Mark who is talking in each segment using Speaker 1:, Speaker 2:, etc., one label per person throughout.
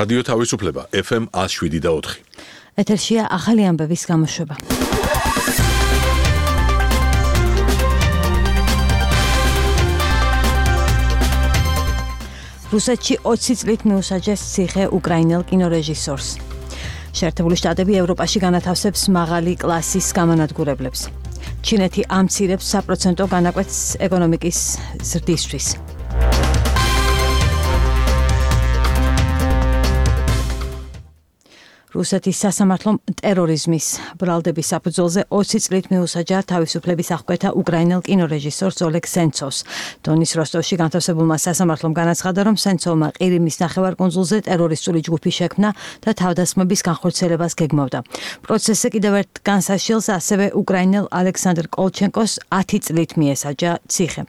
Speaker 1: რადიო თავისუფლება FM 107.4.
Speaker 2: ეთერშია ახალი ამბების გამოშვება. რუსეთში 20 წლით მიუსაჯეს ციხე უკრაინელ კინორეჟისორს. შეერთებული შტატები ევროპაში განათავსებს მაღალი კლასის გამანადგურებლებს. ჩინეთი ამცირებს საპროცენტო განაკვეთს ეკონომიკის ზრდისთვის. რუსეთის სასამართლომ ტერორიზმის ბრალდების საფუძველზე 20 წლით მიუსაჯა თავისუფლების აღკვეთა უკრაინელ კინორეჟისორს ოლეგ სენცოვს. დონის როსტოვში განთავსებულმა სასამართლომ განაცხადა, რომ სენცოვმა ყირიმის ნახევარკუნძულზე ტერორისტული ჯგუფი შექმნა და თავდასხმების განხორციელებას გეგმავდა. პროცესზე კიდევ ერთ განსაშილს ასევე უკრაინელ ალექსანდრ კოლჩენკოს 10 წლით მიესაჯა ციხე.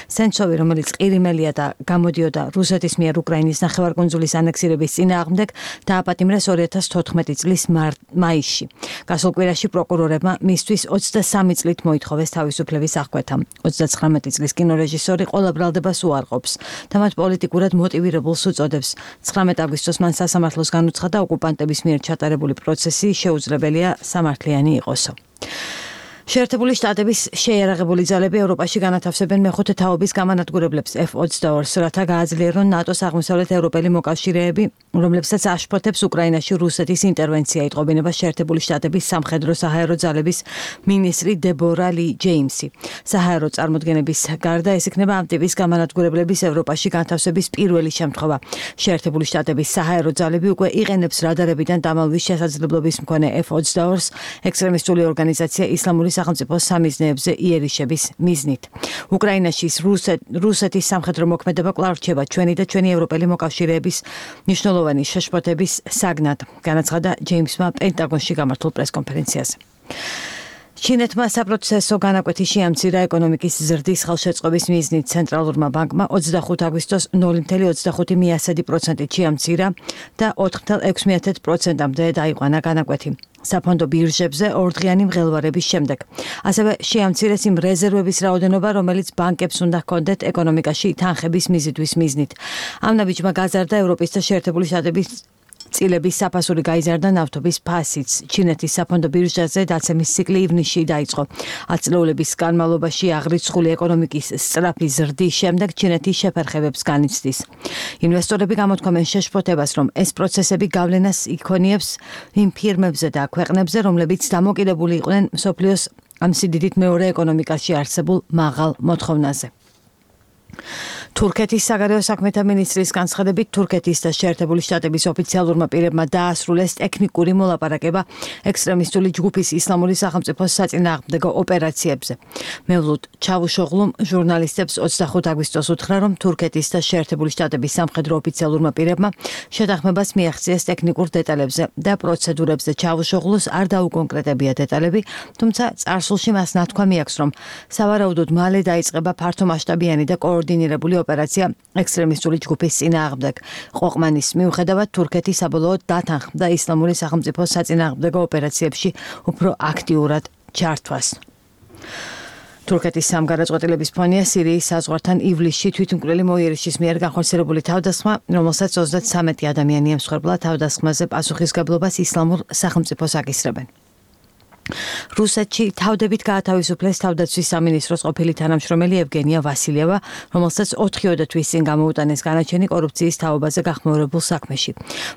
Speaker 2: სენცოვი, რომელიც ყირიმელია და გამოდიოდა რუსეთის მიერ უკრაინის ნახევარკუნძულის ანექსირების წინააღმდეგ, დააპატიმრეს 2014 წლის მაისში. გასულ კვირაში პროკურორებმა მისთვის 23 წლით მოითხოვეს თავისუფლების აღკვეთა. 39 წლის კინორეჟისორი ყველა ბრალდებას უარყოფს და მათ პოლიტიკურად მოტივირებულს უწოდებს. 19 აგვისტოს მან სასამართლოს განუცხადა, ოკუპანტების მიერ ჩატარებული პროცესი შეუძლებელია სამართლიანი იყოსო. შეერთებული შტატების შეიარაღებული ძალები ევროპაში განათავსებენ მეხუთე თაობის გამანადგურებლებს F-22-ს, რათა გააძლიერონ ნატოს აღმოსავლეთ ევროპელი მოკავშირეები, რომლებსაც აშფოთებს უკრაინაში რუსეთის ინტერვენცია, იტყობინება შეერთებული შტატების სამხედრო-საჰაერო ძალების მინისტრი დებორა ლი ჯეიმსი. საჰაერო წარმოდგენების გარდა ეს იქნება ამ ტიპის გამანადგურებლების ევროპაში განთავსების პირველი შემთხვევა. შეერთებული შტატების საჰაერო ძალები უკვე იყენებს რადარებიდან დამალვის შესაძლებლობის მქონე F-22-ს ექსტრემისტული ორგანიზაცია ისლამური სახელმწიფოს სამიზნეებზე იერიშების მიზნით. უკრაინაში რუსეთის სამხედრო მოქმედება კვლავ რჩება ჩვენი და ჩვენი ევროპელი მოკავშირეების მნიშვნელოვანი შეშფოთების საგნად, განაცხადა ჯეიმსმა პენტაგონში გამართულ პრესკონფერენციაზე. ჩინეთმა საპროცესო განაკვეთი შეამცირა ეკონომიკის ზრდის ხელშეწყობის მიზნით. ცენტრალურმა ბანკმა 25 აგვისტოს 0.25% შეამცირა და 4.6%-მდე დაიყვანა განაკვეთი. საფონდო ბირჟებზე ორდღიანი მღელვარების შემდეგ. ასევე შეამცირეს იმ რეზერვების რაოდენობა, რომელიც ბანკებს უნდა ჰქონდეთ ეკონომიკაში თანხების მიზიდვის მიზნით. ამ ნაბიჯმა გაზარდა ევროპის და შეერთებული შტატების წილების საფასური გაიზარდა ნავთობის ფასიც. ჩინეთის საფონდო ბირჟაზე დაცემის ციკლი ივნისში დაიწყო. 10 წლეულების განმავლობაში აღრიცხული ეკონომიკის სწრაფი ზრდის შემდეგ ჩინეთი შეფერხებებს განიცდის. ინვესტორები გამოთქვამენ შეშფოთებას, რომ ეს პროცესები გავლენას იქონიებს იმ ფირმებზე და ქვეყნებზე, რომლებიც დამოკიდებული იყვნენ მსოფლიოს ამ სიდიდით მეორე ეკონომიკაში არსებულ მაღალ მოთხოვნაზე. თურქეთის საგარეო საქმეთა მინისტრის განცხადებით, თურქეთის და შეერთებული შტატების ოფიციალურმა პირებმა დაასრულეს ტექნიკური მოლაპარაკება ექსტრემისტული ჯგუფის ისლამური სახელმწიფოს საწინააღმდეგო ოპერაციებზე. მევლოდ ჩავუშოღლუმ ჟურნალისტებს 25 აგვისტოს უთხრა, რომ თურქეთის და შეერთებული შტატების სამხედრო ოფიციალურმა პირებმა შეთანხმებას მიაღწიეს ტექნიკურ დეტალებზე და პროცედურებზე. ჩავუშოღლუს არ დაუკონკრეტებია დეტალები, თუმცა წარსულში მას ნათქვა მიაქვს, რომ სავარაუდოდ მალე დაიწყება ფართომასშტაბიანი და კოორდინირებული ოპერაცია ექსტრემისტული ჯგუფის წინააღმდეგ. ყოყმანის მიუხედავად, თურქეთი საბოლოოდ დათანხმდა ისლამური სახელმწიფოს საწინააღმდეგო ოპერაციებში უფრო აქტიურად ჩართვას. თურქეთის სამგარაწყვეტილების ფონია სირიის საზღვართან ივლისში თვითმკვლელი მოიერიშის მიერ განხორციელებული თავდასხმა, რომელსაც 33 ადამიანი ემსხვერპლა. თავდასხმაზე პასუხისგებლობას ისლამურ სახელმწიფოს აკისრებენ. რუსეთში თავდებით გაათავისუფლეს თავდაცვის სამინისტროს ყოფილი თანამშრომელი ევგენია ვასილიევა, რომელსაც 4 თვის წინ გამოუტანეს განაჩენი კორუფციის თაობაზე გახმაურებულ საქმეში.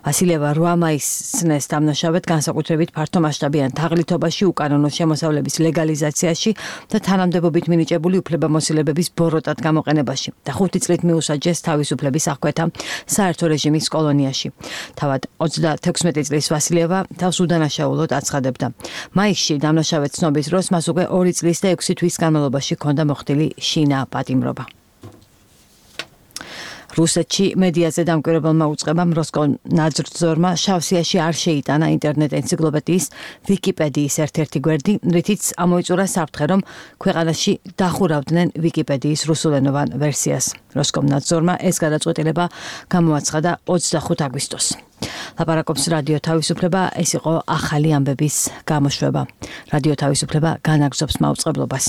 Speaker 2: ვასილიევა 8 მაისს დამნაშავედ განსაკუთრებით ფართომასშტაბიან თაღლითობაში, უკანონო შემოსავლების ლეგალიზაციაში და თანამდებობით მინიჭებული უფლებამოსილებების ბოროტად გამოყენებაში და 5 წლით მიუსაჯეს თავისუფლების აღკვეთა საერთო რეჟიმის კოლონიაში. თავად 36 წლის ვასილიევა თავს უდანაშაულოდ აცხადებდა. დამნაშავედ ცნობის დროს მას უკვე 2 წლის და 6 თვის განმავლობაში ჰქონდა მოხდილი შინა პატიმრობა. რუსეთში მედიაზე დამკვირვებელმა უწყებამ როსკომნაძრ-ძორმა შავსიაში არ შეიტანა ინტერნეტ ენციკლოპედიის ვიკიპედიის ერთ-ერთი გვერდი, რითიც ამოიწურა საფრთხე, რომ ქვეყანაში დახურავდნენ ვიკიპედიის რუსულენოვან ვერსიას. როსკომნაძრ-ძორმა ეს გადაწყვეტილება გამოაცხადა 25 აგვისტოს. ლაპარაკობს რადიო თავისუფლება, ეს იყო ახალი ამბების გამოშვება. რადიო თავისუფლება განაგრძობს მაუწყებლობას.